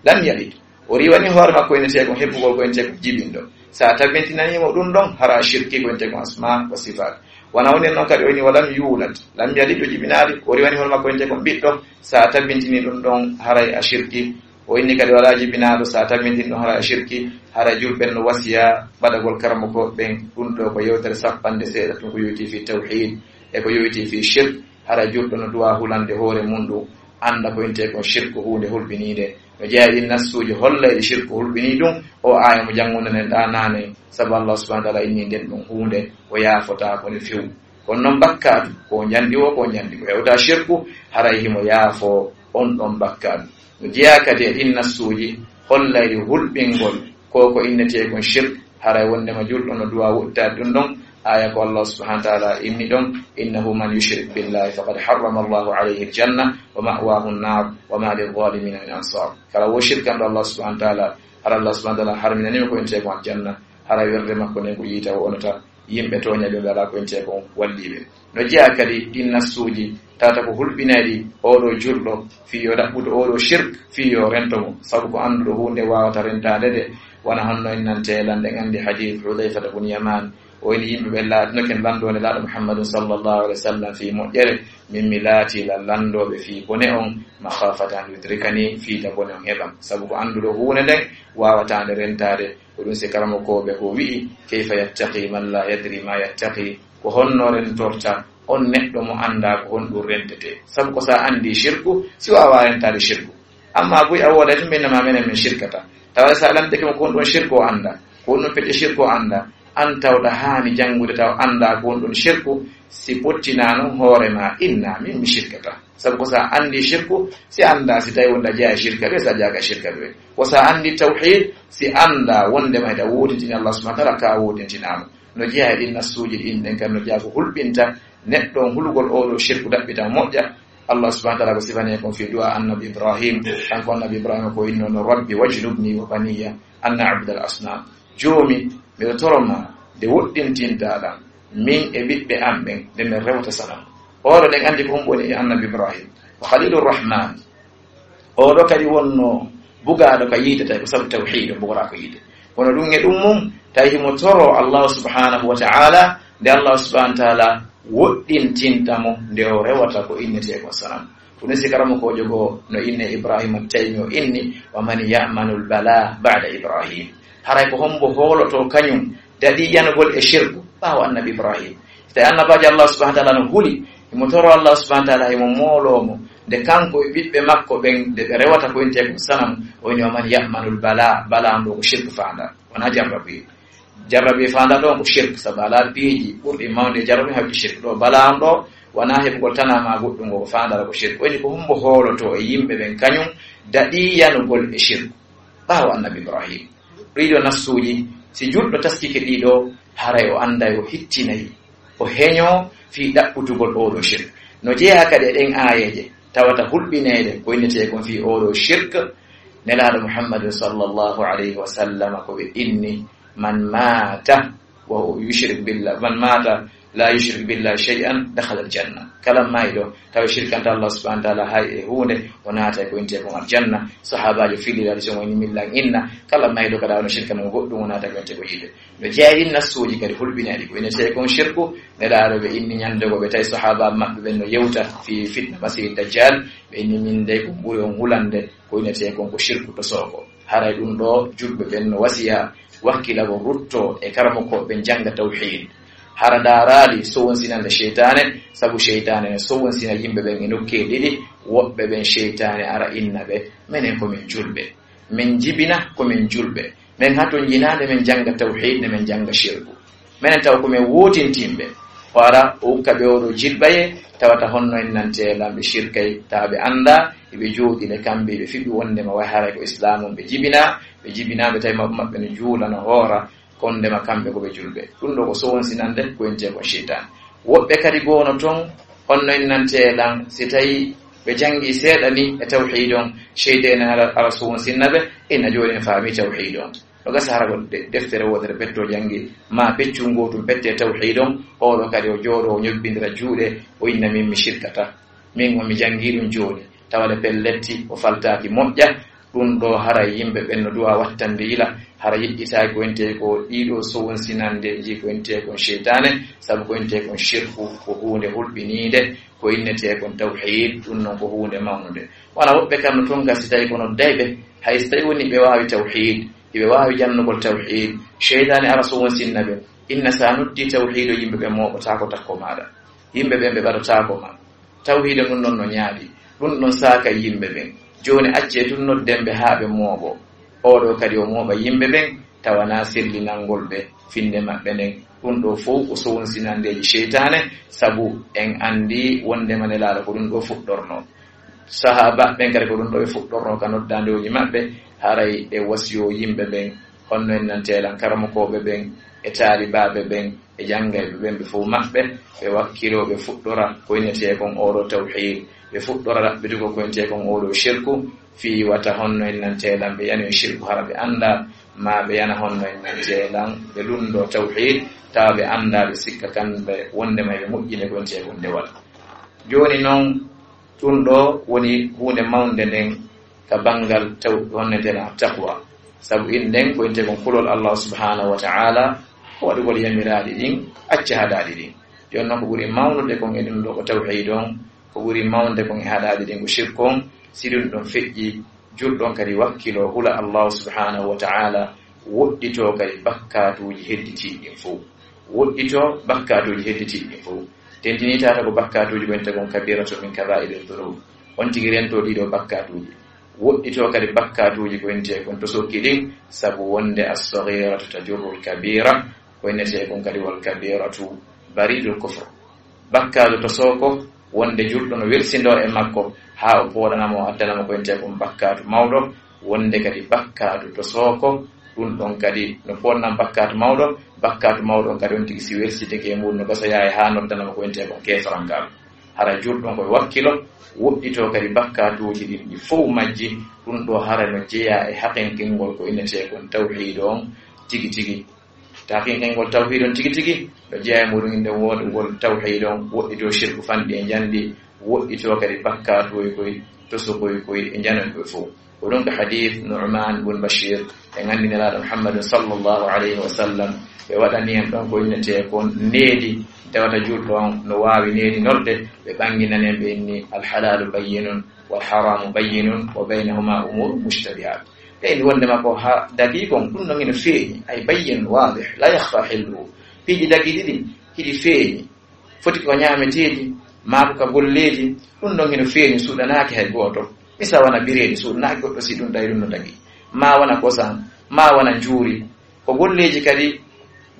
Lam yalid. O riiwani hoore makko ene tee kon hebbugol ko ene tee ko jibinɗo. Sa tabintinanimo ɗum ɗon, hara shirki ko ene tee kon asma wa sifat. Wana woni non kadi o inni, "Wa lam yulad." Lam yalid o jibinaali, o riiwani hoore makko ene tee kon ɓiɗɗo. Sa tabintini ɗum ɗon, haray a shirki. O inni kadi wala jibinaaɗo, sa tabintini ɗum hara shirki, hara julɓe no wasiya ɓadagol karamoko ɓen ɗum ɗo ko yewtere sappanɗe seeɗa tun ko yoyti fi tawhid e ko yoyti fi shirk. Hara julɗo no duwa hulande hoore mum ɗum, anda ko inte kon shirku huunde hulɓiniinde. No jeeya ɗin nassuuji hollayɗi shirku hulɓinii ɗum, o aaya mo janngunoɗen ɗa naane, sabu Allah subhanahu wa ta'ala inni nden ɗum huunde o yaafotaako nde few. Kono noon bakkaatu, ko njandi o, ko njandi ko hewta shirku, haray himo yaafo on ɗon bakkaatu. No jeyaa kadi e ɗin nassuuji hollayɗi hulɓingol ko ko innetee kon shirk, haray wondema julɗo no duwa wuttaade ɗum ɗon. Aya ko Allah subhanahu wa ta'ala inni ɗon, "Innahu man yushrik billahi faqad harrama Allahu alayhi aljanna wa ma'wahu an-nar wa ma lil-zalimina min ansar." Kala wo shirkanɗo Allah subhanahu wa ta'ala, hara Allah subhanahu wa ta'ala harminanimo ko innetee kon aljanna, haray werde makko nden ko yiita o onata. Yimɓe tooña ɓe, ɓe alaa ko ente kon walliiɓe. No jeyaa kadi ɗin nassuuji tawata ko hulɓinayɗi oɗo julɗo fii yo ɗaɓɓuto oɗo shirk fii yo rento mo, sabu ko annduɗo huunde waawata rentaade nde, wona honno en nante lanɗe. En anndi hadiis Hudayfata bun Yaman, o inni yimɓe ɓe laatinoke lanndoo Nelaaɗo Muhammadun sallallahu alaihi wasallam fii moƴƴere, min mi laati la lanndooɓe fii bone on, makhafata an yudrikani, fii ta bone on heɓam, sabu ko annduɗo huunde nden waawata nde rentaade. Ko ɗum si karamokooɓe ko wi'i, "Kayfa yattaqi man la yadri ma yattaqi?" Ko honno rentorta on neɗɗo mo anndaa ko honɗum rentetee? Sabu ko sa anndi shirku, si waawaa rentaade shirku. Amma buy a wooday tun ɓe innama menen min shirkata. Tawa sa lantike mo ko honɗum shirku o anndaa, ko honɗum pecce shirku o anndaa, an tawɗa haani janngude tawa anndaa ko honɗum shirku, si pottinaano hoore ma inna min mi shirkata. Sabu ko sa anndi shirku, si anndaa si tawi wonda jeyaa shirka ɓe, sa jaaka shirka ɓe. Ko sa anndi tawhid, si anndaa wonde mayta wootintini Allah subhanahu wa ta'ala, ka wootintinaama. No jeyaa e ɗin nassuuji ɗin, ɗen kan no jeyaa ko hulɓinta neɗɗo on hulugol oɗo shirku ɗaɓɓita moƴƴa. Allah subhanahu wa ta'ala ko sifani kon fii du'a annabi Ibrahim. Kanko annabi Ibrahim ko inno no, "Rabbi wajnubni wa baniya an na'budal asnam." Joomi, miɗo toro ma nde woɗɗintinta ɗan min e ɓiɓɓe am ɓen, nde min rewata sanam. Oɗo ɗen anndi ko hombo woni annabi Ibrahim. Ko Khalilur Rahman. Oɗo kadi wonno bugaaɗo ka yiite, tawi ko sabu tawhiid o bugora ko yiite. Kono ɗum e ɗum mum, tawi himo toro Allah subhanahu wa ta'ala, nde Allah subhanahu wa ta'ala woɗɗintinta mo nde o rewata ko innetee ko sanam. Ko ɗum si karamokoojo goo no inne Ibrahima Taymi o inni, "Wa man ya'manul bala ba'da Ibrahim?" Haray ko hombo hooloto kañum daɗi yanugol e shirku ɓaawo annabi Ibrahim? Si tawi annabaajo Allah subhanahu wa ta'ala no huli, himo toro Allah subhanahu wa ta'ala, himo mooloo mo nde kanko e ɓiɓɓe makko ɓen, nde ɓe rewata ko innetee ko sanam, o inni, "Wa man ya'manul bala?" Bala on ɗo ko shirku faanda, wona jarrabi. Jarrabi faanda ɗon ko shirk, sabu alaa piiji ɓurɗi mawde e jarrabi hawti shirk. Ɗo bala on ɗo wona heɓugol tana ma goɗɗum, ko faandata ko shirk. O inni ko hombo hooloto e yimɓe ɓen kañum daɗi yanugol e shirk ɓaawo annabi Ibrahim? Ɗiɗo nassuuji, si julɗo taskike ɗiɗo, haray o annday, o hittinay, o heñoo fii ɗaɓɓutugol oɗo shirk. No jeyaa kadi e ɗen aayeeje tawata hulɓineede ko innetee kon fii oɗo shirk, Nelaaɗo Muhammadun sallallahu alayhi wa sallam ko ɓe inni, "Man mata wa huwa yushrik billah, man mata la yushrik billah shay'an dakhala al-janna." Kala mayɗo tawi shirkanta Allah subhanahu wa ta'ala hay e huunde, o naatay ko innetee kon aljanna. Sahaabaajo filiraade so woni millan inna, kala mayɗo kada ono shirkana mo goɗɗum, o naatay ko innetee ko yiite. No jeyaa e ɗin nassuuji kadi hulɓinayɗi ko innetee kon shirku, Nelaaɗo ɓe inni ñande goo ɓe tawi sahaaba maɓɓe ɓen no yewta fii fitna Masiihi Dajjal, ɓe inni, "Min dey ko ɓuri on hulande ko innetee kon ko shirku to sooko." Haray ɗum ɗo julɓe ɓen no wasiya wakkilagol rutto e karamokooɓe ɓen jannga tawhiid. Hara ndaaraali sowonsinande sheytaane, sabu sheytaane no sowonsina yimɓe ɓen e nokkeeli ɗiɗi, woɓɓe ɓen sheytaane ara inna ɓe, "Menen ko min julɓe." Men jibina ko men julɓe. Men hatonjinaade, men jannga tawhiid, nde men jannga shirku. Menen tawa ko men wootintinɓe. O ara, o ukka ɓe oɗo jilɓaye, tawata honno en nantee lan ɓe shirkay, tawa ɓe annda, ɓe jooɗi le kamɓe, ɓe fiɓi wondema way haray ko islaamu ɓe jibina, ɓe jibina, ɓe tawi maɓɓe, maɓɓe no juula, no hoora, kon ndema kamɓe ko ɓe julɓe. Ɗum ɗo ko sowonsinande ko entee kon sheytaan. Woɓɓe kadi goono ton, honno en nantee lan, si tawi ɓe janngi seeɗa ni e tawhiid on, sheytaane ara, ara sowonsinna ɓe, ina jooni en faami tawhiid on. No gasa hara ko de-, deftere wootere ɓetto janngi, ma peccun gootum ɓette tawhiid on, oɗo kadi o jooɗo, o ñobbindira juuɗe, o inna min mi shirkata. Min o mi janngi ɗum jooni. Tawa le pelletti, o faltaaki moƴƴa. Ɗum ɗo hara yimɓe ɓen no duwa wattande yila, hara yeƴƴitaaki ko entee ko ɗiɗo sowonsinande ji ko entee kon sheytaane, sabu ko entee kon shirku, ko huunde hulɓiniinde, ko innetee kon tawhiid, ɗum non ko huunde mawnunde. Wona woɓɓe kam no ton gasi tawi kono dayɓe, hay si tawi woni ɓe waawi tawhiid, iɓe waawi jannugol tawhiid, sheytaane ara sowonsinna ɓe, inna sa noddi tawhiid o yimɓe ɓe mooɓotaako takko maaɗa. Yimɓe ɓen ɓe ɓaɗotaako ma. Tawhiida ɗum ɗon no ñaaɗi. Ɗum ɗon saaka yimɓe ɓen. Jooni accee tun nodden ɓe haa ɓe mooɓo. Oɗo kadi o mooɓa yimɓe ɓen, tawa na sellinangol ɓe finnde maɓɓe nden. Ɗum ɗo fow ko sowonsinandeeji sheytaane, sabu en anndi wondema Nelaaɗo ko ɗum ɗo fuɗɗorno. Sahaaba ɓen kadi ko ɗum ɗo ɓe fuɗɗorno ka noddaandooji maɓɓe, haray ɓe wasiyo yimɓe ɓen, honno en nantee lan karamokooɓe ɓen e taalibaaɓe ɓen e janngayɓe ɓen, ɓe fow maɓɓe, ɓe wakkiloo, ɓe fuɗɗora ko innetee kon oɗo tawhiid, ɓe fuɗɗora ɗaɓɓitugol ko innetee kon oɗo shirku, fii wata honno en nantee lan ɓe yanoyi shirku hara ɓe annda, maa ɓe yana honno en nantee lan ɓe lunndoo tawhiid, tawa ɓe annda, ɓe sikka kamɓe wondema ɓe moƴƴinde ko innetee kon dewal. Jooni non, ɗum ɗo woni huunde mawnde nden ka banngal taw-, honno nden taqwa. Sabu in nden ko innetee kon kulol Allah subhanahu wa ta'ala, ko waɗugol yamiraaɗi ɗin, acca haɗaaɗi ɗin. Jooni non ko ɓuri mawnude kon e ɗum ɗo ko tawhiid on, ko ɓuri mawnde kon e haɗaaɗi ɗin ko shirku on, si ɗum ɗon feƴƴi, julɗo on kadi wakkiloo hula Allah subhanahu wa ta'ala, woɗɗitoo kadi bakkaatuuji hedditiiɗi ɗin fow. Woɗɗitoo bakkaatuuji hedditiiɗi ɗin fow. Tentinii tata ko bakkaatuuji ko innetee kon kabiratun min kabaa'iri dhunub. On tigi rentoo ɗii ɗo bakkaatuuji. Woɗɗitoo kadi bakkaatuuji ko innetee kon tosokki ɗin, sabu wonde as-saghiratu tajurrul kabira, ko innetee kon kadi wal kabiratu baridul kufr. Bakkaatu tosooko, wonde julɗo no welsindoo e makko, haa o pooɗana mo, o addana mo ko innetee kon bakkaatu mawɗo, wonde kadi bakkaatu tosooko, ɗum ɗon kadi no pooɗana bakkaatu mawɗo, bakkaatu mawɗo on kadi on tigi si welsidike e muɗum no gasa yaha haa noddana mo ko innetee kon keefarankaaɗo. Hara julɗo on ko e wakkilo, woɗɗitoo kadi bakkaatuuji ɗin ɗi fow majji, ɗum ɗo hara no jeyaa e haqinkingol ko innetee kon tawhiid on tigi tigi. Taqiqen ngol tawhiid on tigi tigi, no jeyaa e muɗum innde woɗugol tawhiid on, woɗɗitoo shirku fanɗi e njanɗi, woɗɗitoo kadi bakkaatuuji koy, tosokoy koy, e njanoy koy fow. Ko ɗum ko hadiis Nu'man bun Bashir, en anndi Nelaaɗo Muhammadun sallallahu alayhi wa sallam, ɓe waɗani en ɗon ko innetee kon needi, tawata julɗo on no waawi needinorde, ɓe ɓanginani en ɓe inni, "Al halaalu bayyinun, wal haraamu bayyinun, wa baynahuma umuuru mushtabihaat." Ɓe inni wondema ko ha dagii kon, ɗum non hino feeñi, ay bayyin waadih, la yakhfa hilluhu. Piiji dagiiɗi ɗin, hiɗi feeñi. Foti ko ñaameteeji, maa ko ka golleeji, ɗum non hino feeñi, suuɗanaaki hay gooto. Misa wona bireedi, suuɗanaaki goɗɗo si ɗum tawi ɗum no dagii. Maa wona kosan, maa wona njuuri. Ko golleeji kadi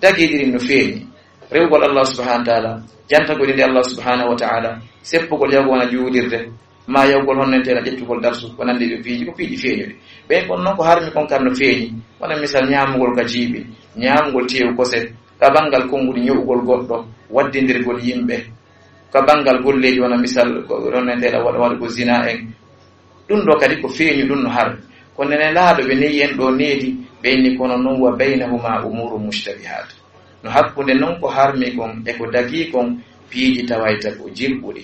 dagiiɗi ɗin no feeñi. Rewugol Allah subhanahu wa ta'ala, jantagol innde Allah subhanahu wa ta'ala, seppugol yahugol wona juulirde, maa yahugol honno entee lan ƴettugol darsu, ko nanndi ɗo piiji, ko piiji feeñuɗi. Ɓen kon non ko harmi kon kam no feeñi. Wona misal ñaamugol ka jiiɓi, ñaamugol teewu kose, ka banngal konnguɗi ño'ugol goɗɗo, waddindirgol yimɓe, ka banngal golleeji wona misal ko honno entee lan waɗa, waɗugol zina en. Ɗum ɗo kadi ko feeñi, ɗum no harmi. Kono Nelaaɗo ɓe neyi en ɗo needi, ɓe inni kono non wa baynahuma umuuru mushtabihaat. No hakkunde non ko harmi kon e ko dagii kon piiji tawayta ko jirɓuɗi.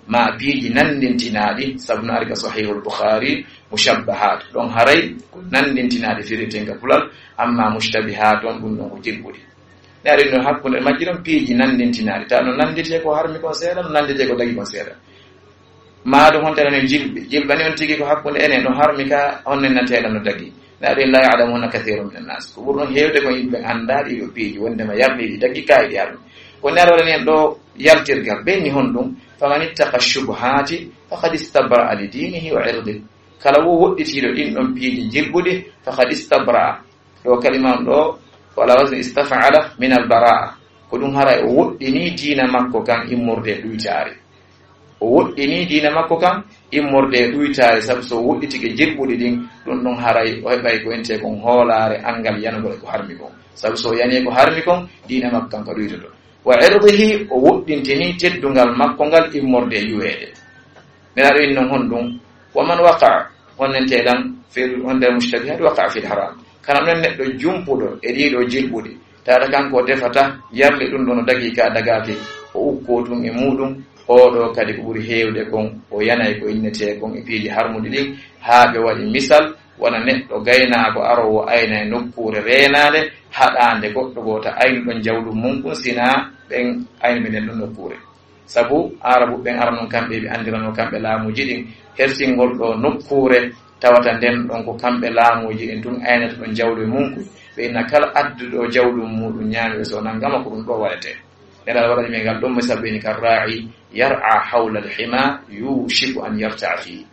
Ma piiji nanndintinaaɗi, sabu no ari ka Sahihul Bukhari, mushabbahaat. Ɗon haray ko nanndintinaaɗi fireten ka pulal, amma mushtabihaat on ɗum ɗon ko jirɓuɗi. Ne ari no hakkunde majji ɗon piiji nanndintinaaɗi. Tawa no nannditee ko harmi kon seeɗa, no nannditee ko dagii kon seeɗa. Maa ɗum hontere no jilɓi. Jilɓa ni on tigi ko hakkunde enen no harmi ka honne nateeɗa no dagii. Ne ari la ya'lamuuna kathiirun minan naas. Ko ɓuri ɗon heewde ko yimɓe anndaaɗi yo piiji wondema yarɗiiɗi dagii kaayiɗi harmi. Ko ne ari waɗani en ɗo yaltirgal. Ɓenni honɗum? Faman ittaqa shubuhaati faqad istabra'a li diinihi wa irdih. Kala wo woɗɗitiiɗo ɗin ɗon piiji jilɓuɗi, faqad istabra. Ɗo kalima on ɗo, wala wasni istaf'ala min al bara'a. Ko ɗum haray o woɗɗini diina makko kan immorde e ɗuytaare. O woɗɗini diina makko kan immorde e ɗuytaare, sabu so o woɗɗitike jilɓuɗi ɗin, ɗum ɗon haray o heɓay ko entee kon hoolaare anngal yanugol e ko harmi kon. Sabu so o yani e ko harmi kon, diina makko kan ko ɗuytoto. Wa irdihi, o woɗɗintini teddungal makko ngal immorde e yuweede. Nelaaɗo inni non honɗum? Wa man waqa'a, honnente lan fil, honde mushtabihat, waqa'a fil haram. Kana non neɗɗo jumpuɗo e ɗiɗo jilɓuɗi, taata kanko defata yarli ɗum ɗo no dagii ka dagaaki, o ukkoo tun e muɗum, oɗo kadi ko ɓuri heewde kon, o yanay ko innetee kon e piiji harmuɗi ɗin, haa ɓe waɗi misal, wona neɗɗo gaynaako aroowo ayna e nokkuure reenaande, haɗaande goɗɗo gooto aynu ɗon jawɗum mun kun, sinaa ɓen aynuɓe nden ɗon nokkuure. Sabu Aarabu ɓen arano kamɓe ɓe anndirano kamɓe laamuuji ɗin, hersingol ɗo nokkuure tawata nden ɗon ko kamɓe laamuuji ɗin tun aynata ɗon jawɗum e mun kun. Ɓe inna kala adduɗo jawɗum muɗum ñaami ɓe so nangama ko ɗum ɗo waɗetee. Nelaaɗo waɗani men ngal ɗon misal ɓe ni kan raa'i yar'a hawla al-hima yushiku an yarta'a fihi.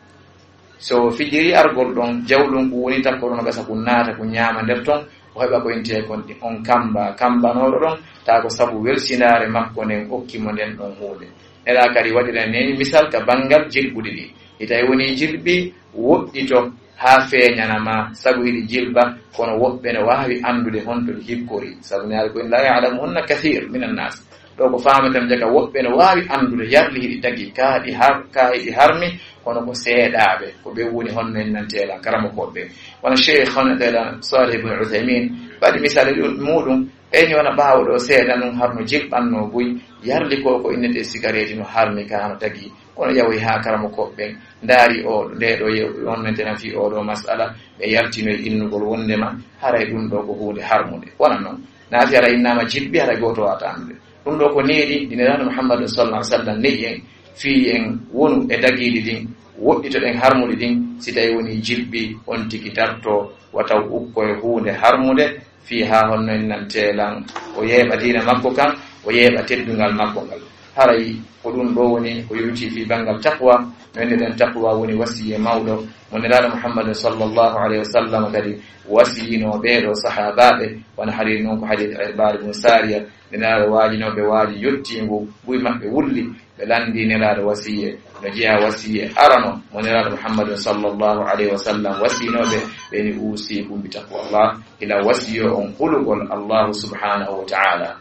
So fijiri argol ɗon, jawɗum ko woni takko ɗon gasa ko naata ko ñaama nder ton, o heɓa ko intee kon on kamba, kambanooɗo ɗon, taa ko sabu welsindaare makko nden okki mo nden ɗon huunde. Nelaaɗo kadi waɗira ni misal ka banngal jilɓuɗi ɗi. Itawi woni jilɓi woɗɗito haa feeñana ma, sabu hiɗi jilɓa, kono woɓɓe no waawi anndude honto ɗi hikkori. Sabu Nelaaɗo ko in la ya'lamuhunna kathir minan nas. Ɗo ko faameten jaka woɓɓe no waawi anndude yarli hiɗi dagi, kaa ɗi har-, kaa hiɗi harmi, kono ko seeɗaaɓe, ko ɓe woni honno en nantee lan karamokooɓe ɓen. Wano Cheikh hono ɗe lan Salih ibn Uthaymin, waɗi misaali ɗum, muɗum, ɓe ni wona ɓaawo ɗo seeɗa nun harno jilɓanno buy, yarli ko ko innete sigareeti no harmi ka hano dagi, kono yawoy haa karamokooɓe ɓen, ndaari o, nde ɗo yew-, on nantena fii oo ɗo masala, ɓe yaltinoy innugol wondema, haray ɗum ɗo ko huunde harmunde. Wona non, naati haray innama jilɓi, haray gooto waata anndude. Ɗum ɗo ko neeɗi ndi Nelaaɗo Muhammadu sallallahu alaihi wasallam ne'i en, fii en wonu e dagiiɗi ɗin, woɗɗitoɗen harmuɗi ɗin, si tawi woni jilɓi on tigi darto, wata o ukko e huunde harmunde, fii haa honno en nantee lan, o yeeɓa diina makko kan, o yeeɓa teddungal makko ngal. Haray ko ɗum ɗo woni ko yowti fii banngal taqwa, no innirɗen taqwa woni wasiye mawɗo, mo Nelaaɗo Muhammadu sallallahu alaihi wasallam kadi wasiyino ɓee ɗo sahaabaaɓe, wona hadiis non ko hadiis Irbaad ibn Saariya, Nelaaɗo waajinooɓe waaji yottiingu, buy maɓɓe wulli, ɓe lanndii Nelaaɗo wasiye, no jeyaa wasiye arano mo Nelaaɗo Muhammadun sallallahu alaihi wasallam wasiinooɓe, ɓe ni uusiikum bi taqwallah, ila wasiyo on hulugol Allahu subhanahu wa ta'ala.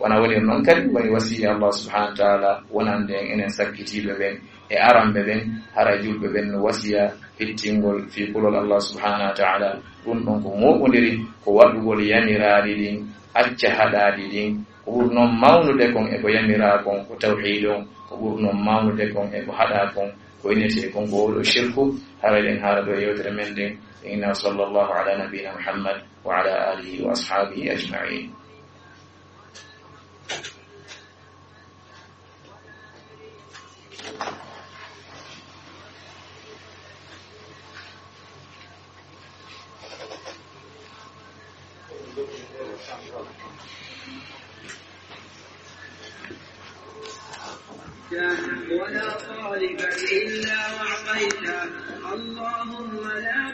Wona wonir non kadi woni wasiya Allah subhanahu wa ta'ala wonande en enen sakkitiiɓe ɓen e aranɓe ɓen, hara julɓe ɓen no wasiya hittingol fii kulol Allah subhanahu wa ta'ala. Ɗum ɗon ko mooɓondiri ko waɗugol yamiraaɗi ɗin, acca haɗaaɗi ɗin, ko ɓuri non mawnude kon e ko yamiraa kon ko tawhiid on, ko ɓuri non mawnude kon e ko haɗaa kon, ko innetee kon ko oɗo shirku. Hara eɗen haala ɗo e yewtere men nden, inna sallallahu ala nabiyina Muhammad wa ala alihi wa ashabihi ajma'in. ولا طالبا إلا أعطيته. اللهم لا